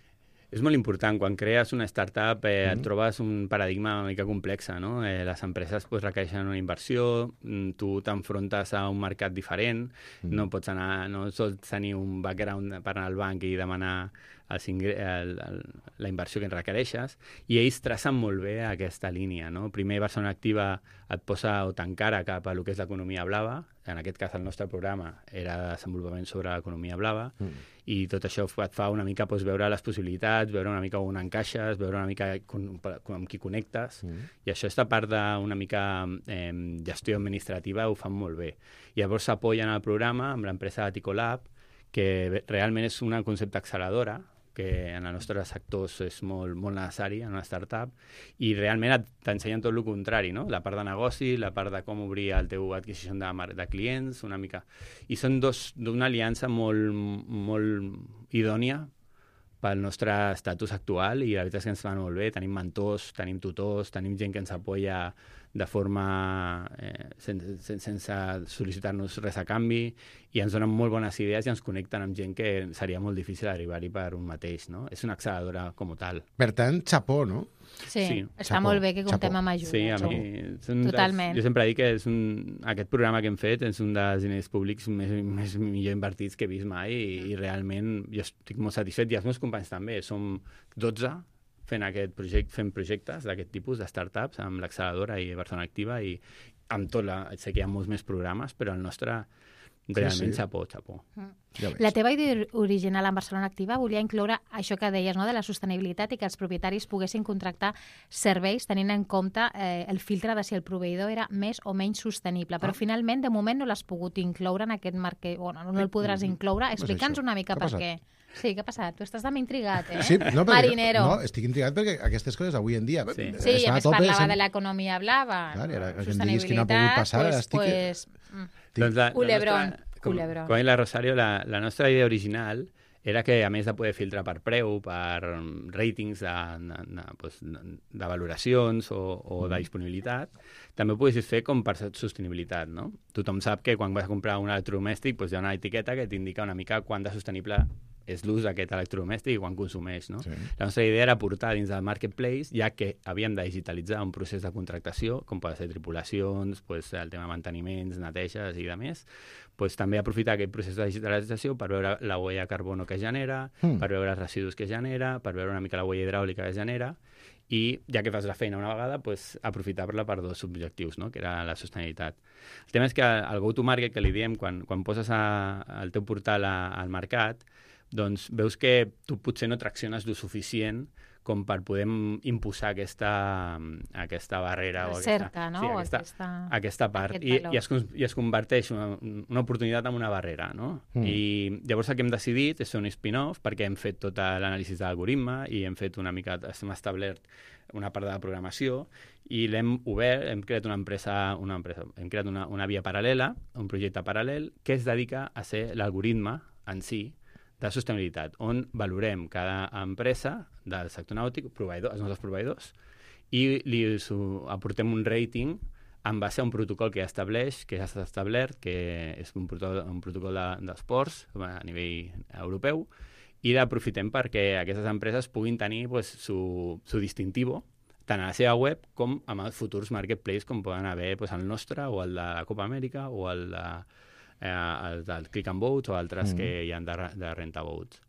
És molt important. Quan crees una startup eh, Mhm. et trobes un paradigma una mica complex, no? Eh, les empreses pues, requereixen una inversió, mm, tu t'enfrontes a un mercat diferent, Mhm. no pots anar, no sols tenir un background per anar al banc i demanar els ingre el, el, la inversió que en requereixes, i ells tracen molt bé aquesta línia, no? Primer, Barcelona Activa et posa o t'encara cap a lo que és l'economia blava, en aquest cas el nostre programa era de desenvolupament sobre l'economia blava, Mm. i tot això et fa una mica doncs, veure les possibilitats, veure una mica on encaixes, veure una mica con, con, amb qui connectes, Mm. i això, esta part d'una mica eh, gestió administrativa, ho fan molt bé. I llavors s'apoyen al programa amb l'empresa Aticolab, que realment és una concepte acceleradora, que en el nostre sector és molt, molt necessari en una startup, i realment et- t'ensenyen tot el contrari, no? La part de negoci, la part de com obrir el teu adquisició de, mar- de clients, una mica... I són dos d'una aliança molt, molt idònia pel nostre estatus actual, i la veritat és que ens van molt bé. Tenim mentors, tenim tutors, tenim gent que ens apoya de forma eh, sense, sense sol·licitar-nos res a canvi, i ens donen molt bones idees i ens connecten amb gent que seria molt difícil arribar-hi per un mateix, no? És una acceleradora com tal. Per tant, xapó, no? Sí, Sí. està Xapó, molt bé que comptem xapó. amb ajuda. Sí, a Xapó. mi... és un Totalment. Dels, jo sempre dic que és un, aquest programa que hem fet és un dels diners públics més, més millor invertits que he vist mai, i, i realment jo estic molt satisfet, i els meus companys també. Som dotze fent, aquest projecte, fent projectes d'aquest tipus de startups amb l'acceleradora i Barcelona Activa, i amb tot la... Sé que hi ha molts més programes, però el nostre realment sí. xapó, xapó. Ja veig. La teva idea original en Barcelona Activa volia incloure això que deies, no?, de la sostenibilitat, i que els propietaris poguessin contractar serveis tenint en compte eh, el filtre de si el proveïdor era més o menys sostenible. Però Ah. finalment, de moment, no l'has pogut incloure en aquest marc. Que, bueno, no el podràs incloure. Explica'ns això? una mica Què ha per passat? què. Sí, què ha passat? Tu estàs també intrigat, eh? Sí, no, perquè, Marinero. no, estic intrigat perquè aquestes coses avui en dia... Sí. Sí, i està a a més tope, parlava sem- de l'economia blava. Clar, i ara que em diguis sostenibilitat, que no ha pogut passar, ara pues, estic- Pues, mm. Estic- Doncs la, Culebrón, la nostra, com, culebrón. com ha dit la Rosario, la, la nostra idea original era que, a més de poder filtrar per preu, per ratings de, de, de, pues, de valoracions o, o de disponibilitat, també ho poguessis fer com per sostenibilitat, no? Tothom sap que quan vas a comprar un electrodomèstic pues, hi ha una etiqueta que t'indica una mica quant de sostenible és l'ús d'aquest electrodomèstic i quan consumeix, no? Sí. La nostra idea era portar dins del marketplace, ja que havíem de digitalitzar un procés de contractació, com poden ser tripulacions, pues, el tema de manteniments, neteges i de més, pues, també aprofitar aquest procés de digitalització per veure la huella de carbono que genera, mm. per veure els residus que genera, per veure una mica la huella hidràulica que genera, i ja que fas la feina una vegada, pues, aprofitar-la per dos objectius, no? Que era la sostenibilitat. El tema és que el go-to-market, que li diem, quan, quan poses a, el teu portal a, al mercat, doncs veus que tu potser no tracciones lo suficient com per poder imposar aquesta, aquesta barrera o aquesta, cerca, no? sí, aquesta, aquesta, aquesta part. I, i, es, I es converteix una, una oportunitat en una barrera, no? Mm. I llavors el que hem decidit és fer un spin-off perquè hem fet tota l'anàlisi de l'algoritme i hem fet una mica, hem establert una part de la programació i l'hem obert, hem creat una empresa, una empresa hem creat una, una via paral·lela, un projecte paral·lel que es dedica a ser l'algoritme en si de sostenibilitat, on valorem cada empresa del sector nàutic, proveïdor, els nostres proveïdors, i li aportem un rating en base a un protocol que ja estableix, que ja s'ha establert, que és un protocol, un protocol de, dels ports a nivell europeu, i l'aprofitem perquè aquestes empreses puguin tenir pues, su, su distintivo tant a la seva web com amb els futurs marketplace com poden haver pues, el nostre o el de la Copa Amèrica o el de Eh, el del Click and Boats o altres mm. que hi ha de, de Renta Boats.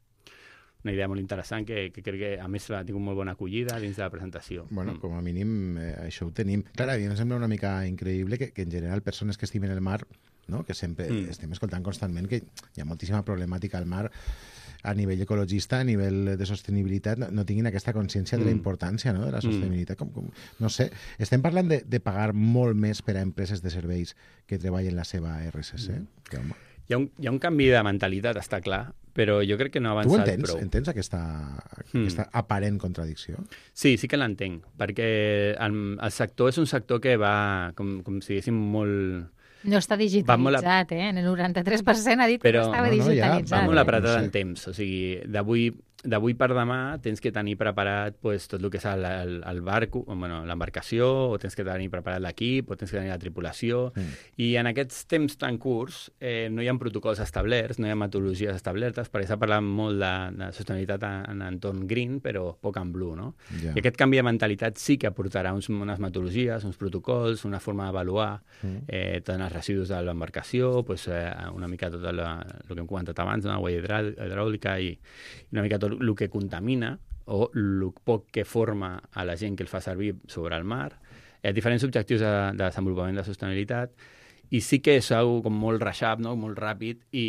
Una idea molt interessant que, que crec que, a més, ha tingut molt bona acollida dins de la presentació. Bueno, mm. com a mínim, eh, això ho tenim. Clar, a mi em sembla una mica increïble que, que en general, persones que estimen el mar, no? Que sempre mm. estem escoltant constantment que hi ha moltíssima problemàtica al mar a nivell ecologista, a nivell de sostenibilitat, no, no tinguin aquesta consciència de la importància, no?, de la sostenibilitat. Com, com, no sé, estem parlant de, de pagar molt més per a empreses de serveis que treballen la seva R S C? Mm. Que, home. Hi ha, un, hi ha un canvi de mentalitat, està clar, però jo crec que no ha avançat tu entens, prou. Tu entens aquesta, mm. aquesta aparent contradicció? Sí, sí que l'entenc, perquè el, el sector és un sector que va, com, com si diguéssim, molt... No està digitalitzat, eh? En el noranta-tres per cent ha dit però, que no estava no, no, digitalitzat. Ja, va molt eh? apretat no sé. en temps. O sigui, d'avui d'avui per demà tens que tenir preparat pues, tot el que és el, el, el barco, bueno, l'embarcació, o tens que tenir preparat l'equip, o tens que tenir la tripulació, mm. i en aquests temps tan curts eh, no hi ha protocols establerts, no hi ha metodologies establertes, perquè s'ha parlat molt de, de sostenibilitat en, en entorn green, però poc en blue, no? Yeah. I aquest canvi de mentalitat sí que aportarà uns, unes metodologies, uns protocols, una forma d'avaluar mm. eh, tots els residus de l'embarcació, pues, eh, una mica tot el, el que hem comentat abans, no? La huella hidràulica i una mica tot el que contamina o el poc que forma a la gent que el fa servir sobre el mar, eh, diferents objectius de, de desenvolupament de sostenibilitat, i sí que és algo com molt reixat, no? Molt ràpid, i,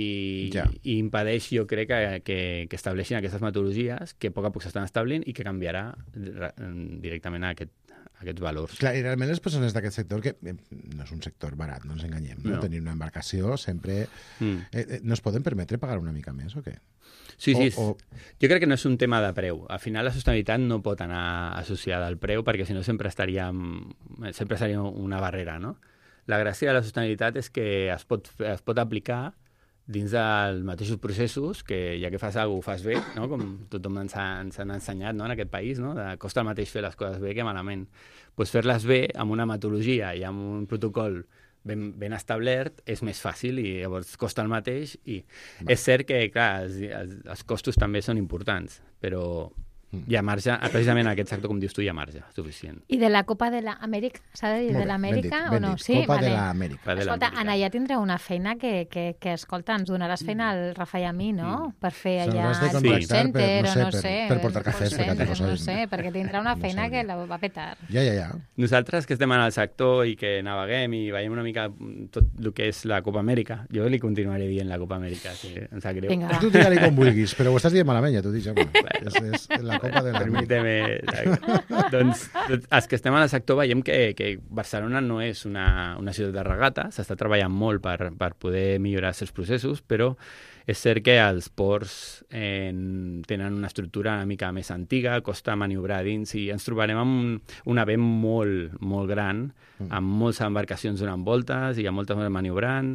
ja. i impedeix, jo crec, que, que, que estableixin aquestes metodologies que a poc a poc s'estan establint i que canviarà directament a aquest, aquests valors. Clar, i realment les persones d'aquest sector, que no és un sector barat, no ens enganyem, no? No. Tenir una embarcació sempre... Mm. Eh, no es poden permetre pagar una mica més o què? Sí, sí. O, o... Jo crec que no és un tema de preu. Al final la sostenibilitat no pot anar associada al preu perquè si no sempre estaríem... sempre seria una barrera, no? La gràcia de la sostenibilitat és que es pot, es pot aplicar dins dels mateixos processos, que ja que fas alguna cosa ho fas bé, no? Com tothom ens ha, ens han ensenyat, no? En aquest país, no? De, costa el mateix fer les coses bé que malament. Pues fer-les bé amb una metodologia i amb un protocol ben, ben establert és més fàcil i llavors costa el mateix i Va. És cert que, clar, els, els, els costos també són importants, però hi ha marge, precisament en aquest sector, com dius tu, hi ha marge suficient. I de la Copa de l'Amèrica? S'ha de dir de l'Amèrica o no? Sí, Copa vale. de l'Amèrica. Escolta, Anna, ja tindreu una feina que, que, que escolta, ens donaràs feina al Rafa i a mi, no? Mm. Per fer allà el call center, per, no sé, o no per, sé. Per portar cafès, per per no sé, perquè tindrà una feina no que la va petar. Ja, ja, ja. Nosaltres que estem en el sector i que naveguem i veiem una mica tot el que és la Copa Amèrica, jo li continuaré dient la Copa Amèrica, si em sap greu. Vinga, tu digue-li com vulguis, però ho estàs dient malament, ja t'ho dic, ja. és, és la Copa de l'Amèrica. Permíteme. Doncs, doncs els que estem en el sector veiem que, que Barcelona no és una, una ciutat de regata, s'està treballant molt per, per poder millorar els seus processos, però és cert que els ports eh, tenen una estructura una mica més antiga, costa maniobrar dins i ens trobarem amb un, un event molt, molt gran, amb moltes embarcacions donant voltes i amb moltes maniobrant,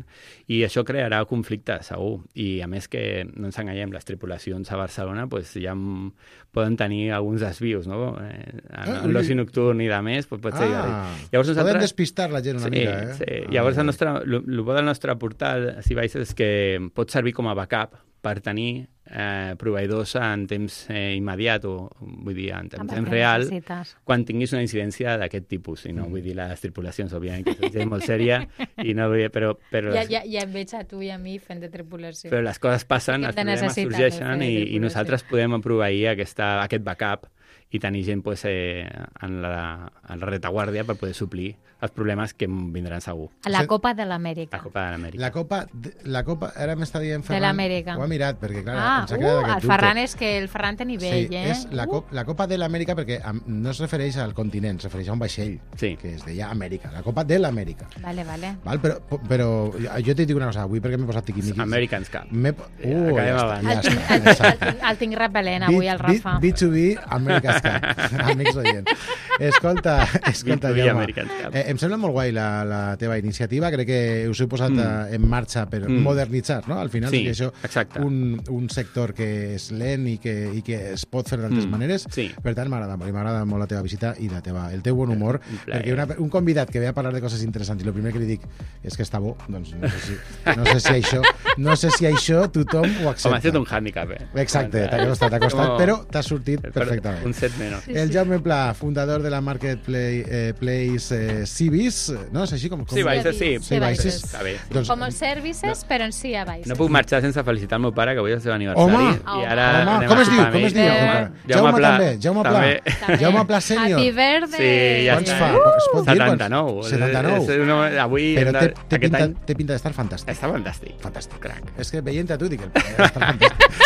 i això crearà conflicte, segur. I a més que, no ens enganyem, les tripulacions a Barcelona pues, ja m- poden tenir alguns desvios, no? Eh, en, en l'oci nocturn i de més, pues, pot ser... Ah, Llavors, poden nosaltres... despistar la gent una sí, mica, eh? Sí, llavors el nostre, el, el bo del nostre portal, Seavice, és que pot servir com a backup per tenir eh, proveïdors en temps eh, immediat o, vull dir, en, en temps real, necessites. quan tinguis una incidència d'aquest tipus. I no mm. vull dir les tripulacions, òbviament, que és gent molt sèria, i no vull dir, però... però Ja, les, ja, ja et veig a tu i a mi fent de tripulació. però les coses passen, Que els te problemes necessiten, sorgeixen de fer i, i tripulació. nosaltres podem proveir aquesta, aquest backup i tenir gent pues, eh, en, la, en la retaguardia per poder suplir els problemes que vindran segur. La Copa de l'Amèrica. La Copa de l'Amèrica. La Copa, de- la Copa, ara m'està dient Ferran... De l'Amèrica. Ho ha mirat, perquè clar, Ah, ens ha quedat uh, aquest el dubte. Ferran és que el Ferran té nivell, Sí, eh? és la, cop, la Copa de l'Amèrica perquè am, no es refereix al continent, es refereix a un vaixell, sí. que es deia Amèrica, la Copa de l'Amèrica. Vale, vale. Val, però, però jo t'he dit una cosa, avui perquè m'he posat tiquimiquis. Americans Cup. M'he... Uh, Acabem ja abans. està, ja El tinc, està, el, ja el, està. tinc, el tinc repel·lent avui, el Rafa. B dos B, America's Cup. Amics oients. Escolta, escolta, B dos B, Jaume. America's Cup. Eh, em sembla molt guai la, la teva iniciativa. Crec que us heu posat mm. en marxa per Mm. modernitzar, no? Al final, Sí, que això exacte. un, un sector que és lent i que, i que es pot fer d'altres Mm. maneres. Sí. Per tant, m'agrada molt. I m'agrada molt la teva visita i la teva, el teu bon humor. Un plaer. Perquè una, un convidat que ve a parlar de coses interessants i el primer que li dic és que està bo, doncs no sé si, no sé si això no sé si això tothom ho accepta. Home, ha estat un hàndicap, eh? Exacte, t'ha costat, t'ha costat, Com- però t'ha sortit per- perfectament. Un set menys. Sí, El sí. Jaume Pla, fundador de la Marketplace eh, Place, eh, Civis, no? És així com... com Sí, Vices, sí. Sí, Vices. Està bé. Doncs, Com els services, però en si a baix. No puc marxar sense felicitar el meu pare, que avui és el seu aniversari. Home! I ara Home, anem com a es diu? sopar Com amb es ell. diu? Eh, Jaume Pla. també, Jaume Pla. També. Jaume Pla sènior. Happy birthday! Sí, ja Quants està. fa? Es pot dir? setanta-nou. setanta-nou. És, és una, avui, Però té, té, aquest pinta, any, té pinta d'estar fantàstic. està fantàstic. Fantàstic. Crac. És que veient a tu dic el pare està fantàstic.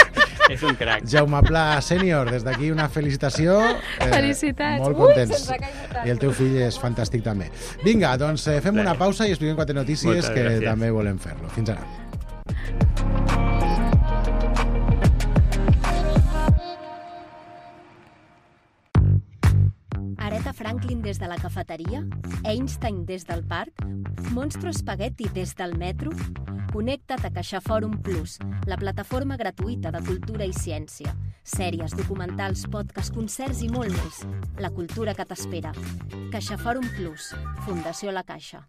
És un crac. Jaume Pla sènior, des d'aquí una felicitació. Eh, Felicitats. Molt Ui, contents. se'ns ha caigut tant. I el teu fill és fantàstic també. Vinga, doncs eh, fem una pausa i expliquem quatre notícies Moltes que gràcies. també volem fer-lo. Fins ara. Aretha Franklin des de la cafeteria? Einstein des del parc? Monstro Spaghetti des del metro? Connecta't a CaixaForum Plus, la plataforma gratuïta de cultura i ciència. Sèries, documentals, podcasts, concerts i molt més. La cultura que t'espera. CaixaForum Plus, Fundació La Caixa.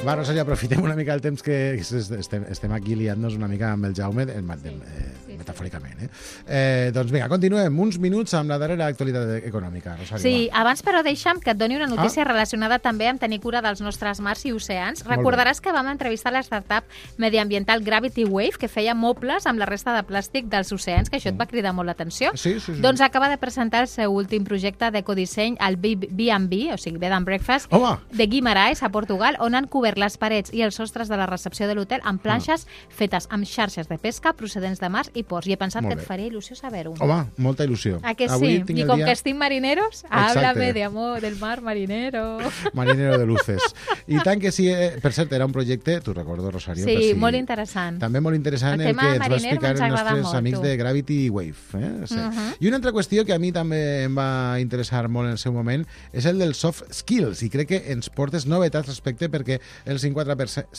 Va, Rosalia, aprofitem una mica el temps que estem, estem aquí liant-nos una mica amb el Jaume, eh, eh, metafòricament. Eh? Eh, doncs vinga, continuem. Uns minuts amb la darrera actualitat econòmica, Rosalia. Sí, abans però deixa'm que et doni una notícia Ah. relacionada també amb tenir cura dels nostres mars i oceans. Molt Recordaràs que vam entrevistar la startup mediambiental Gravity Wave, que feia mobles amb la resta de plàstic dels oceans, que això et va cridar molt l'atenció. Sí, sí, sí. Doncs acaba de presentar el seu últim projecte d'ecodisseny, el B and B, o sigui, Bed and Breakfast, Home! de Guimarães, a Portugal, on han cobert les parets i els sostres de la recepció de l'hotel amb planxes fetes amb xarxes de pesca procedents de mars i ports. I he pensat Molt que bé. et faria il·lusió saber-ho. Home, molta il·lusió. ¿A que Avui sí? tinc Y el con dia que estén marineros, Exacte. háblame de amor, del mar marinero. Marinero de luces. I tant que sí, eh, per cert, era un projecte, t'ho recordo, Rosario. Sí, per si... molt interessant. També molt interessant El el, tema que ens va mariner explicar ens els agrada nostres molt, amics tu. de Gravity Wave. Eh? Sí. Mhm. I una altra qüestió que a mi també em va interessar molt en el seu moment és el dels soft skills, i crec que ens portes novetats respecte perquè el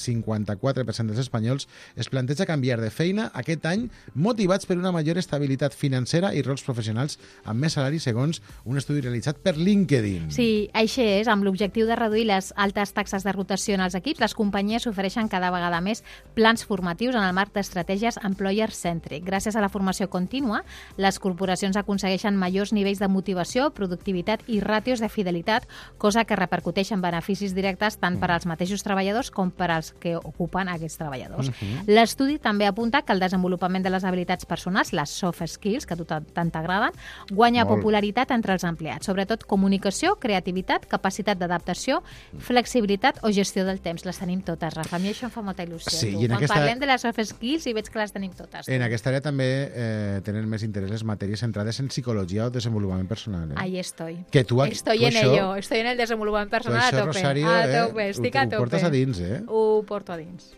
cinquanta-quatre per cent dels espanyols es planteja canviar de feina aquest any motivats per una major estabilitat financera i rols professionals amb més salari segons un estudi realitzat per LinkedIn. Sí, així és. Amb l'objectiu de reduir les altes taxes de rotació en els equips, les companyies ofereixen cada vegada més plans formatius en el marc d'estratègies employer-centric. Gràcies a la formació contínua, les corporacions aconsegueixen majors nivells de motivació, productivitat i ràtios de fidelitat, cosa que repercuteix en beneficis directes tant per als mateixos treballadors treballadors com per als que ocupen aquests treballadors. Mhm. L'estudi també apunta que el desenvolupament de les habilitats personals, les soft skills, que a tu tant tant t'agraden, guanya Molt. popularitat entre els empleats, sobretot comunicació, creativitat, capacitat d'adaptació, flexibilitat o gestió del temps. Les tenim totes, Rafa. A mi això em fa molta il·lusió. Sí, tu. i en Quan aquesta- parlem de les soft skills i veig que les tenim totes. En tu. aquesta àrea també eh, tenen més interès les matèries centrades en psicologia o desenvolupament personal. Eh? Ahí estoy. Que tu, Estoy tu en això, ello, estoy en el desenvolupament tu personal a això, tope. Rosario, a eh, tope, estic ho, a ho tope. portes a dins, eh? Ho porto a dins.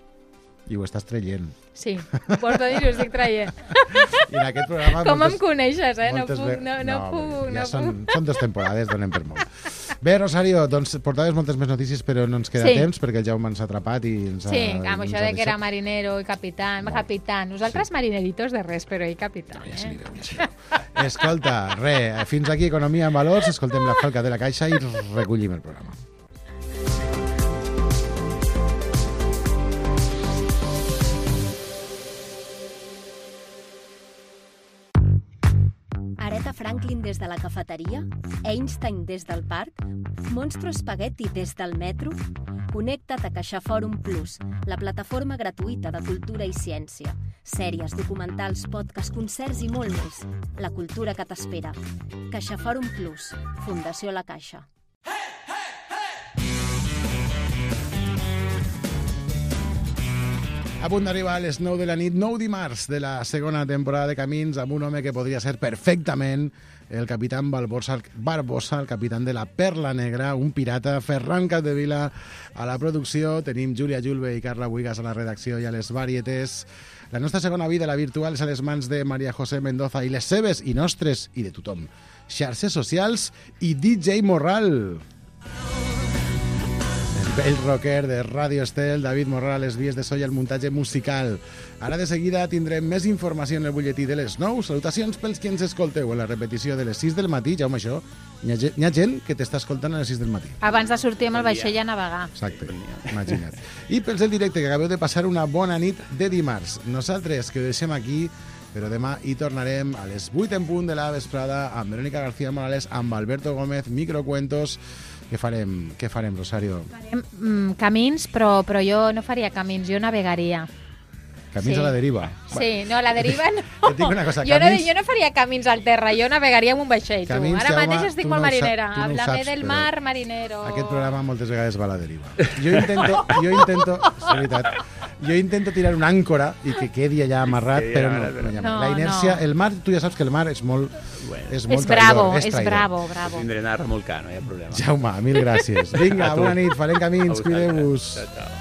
I ho estàs traient. Sí, ho porto a dins i ho estic traient. I en aquest programa... Com moltes, em coneixes, eh? No moltes puc, ve- no, no, home, puc, ja no són, puc. són dues temporades, donem per molt. Bé, Rosario, doncs portaves moltes més notícies, però no ens queda Sí. temps perquè el Jaume ens ha atrapat i ens ha... Sí, amb ens això ha de que era deixat. marinero i capitán. Capitán. Nosaltres marineritos de res, però ell capitán. Ja Eh? s'hi veu, ja s'hi veu. Escolta, re, fins aquí Economia en Valors, escoltem la falca de la caixa i recollim el programa. Aretha Franklin des de la cafeteria, Einstein des del parc, Monstro Spaghetti des del metro. Connecta't a CaixaForum Plus, la plataforma gratuïta de cultura i ciència. Sèries, documentals, podcasts, concerts i molt més. La cultura que t'espera. CaixaForum Plus, Fundació La Caixa. A punt d'arribar a les nou de la nit, nou dimarts de la segona temporada de Camins, amb un home que podria ser perfectament el capitán Barbosa, Barbosa, el capitán de la Perla Negra, un pirata, Ferran Capdevila a la producció, tenim Júlia Julve i Carla Buigas a la redacció i a les varietés. La nostra segona vida, la virtual, és a les mans de Maria José Mendoza i les seves i nostres i de tothom. Xarxes socials i D J Morral. El rocker de Radio Estel, David Morral, a les vies de so i el muntatge musical. Ara de seguida tindrem més informació en el butlletí de les nou. Salutacions pels que ens escolteu en la repetició de les sis del matí. Jaume, això, hi ha, gent- hi ha gent que t'està escoltant a les sis del matí. Abans de sortir amb el vaixell a navegar. Exacte, imagina't. I pels del directe, que acabeu de passar una bona nit de dimarts. Nosaltres, que ho deixem aquí, però demà hi tornarem a les vuit en punt de la vesprada amb Verónica García Morales, amb Alberto Gómez, Microcuentos. Què farem, què farem, Rosario? Mm, camins, però, però jo no faria camins, jo navegaria. Camins Sí. a la deriva. Sí, no, la deriva no. Et dic una cosa, jo, no camins- jo no faria camins al terra, jo navegaria amb un vaixell, tu. Camins, Ara Jaume, mateix estic tu molt no ho sa- marinera. tu no ho Háblame saps, del però mar, marinero. Aquest programa moltes vegades va a la deriva. Jo intento, jo intento, és veritat, jo intento tirar una àncora i que quedi allà amarrat, quedi però no, amarrat, no hi ha no. la inèrcia, No. el mar, tu ja saps que el mar és molt, és molt És bravo, traïdor, és traïdor. bravo, bravo. Tindré anar a remolcar, no hi ha problema. Jaume, mil gràcies. Vinga, A tu. bona nit, farem A camins, vosaltres. cuideu-vos. Ciao, ciao.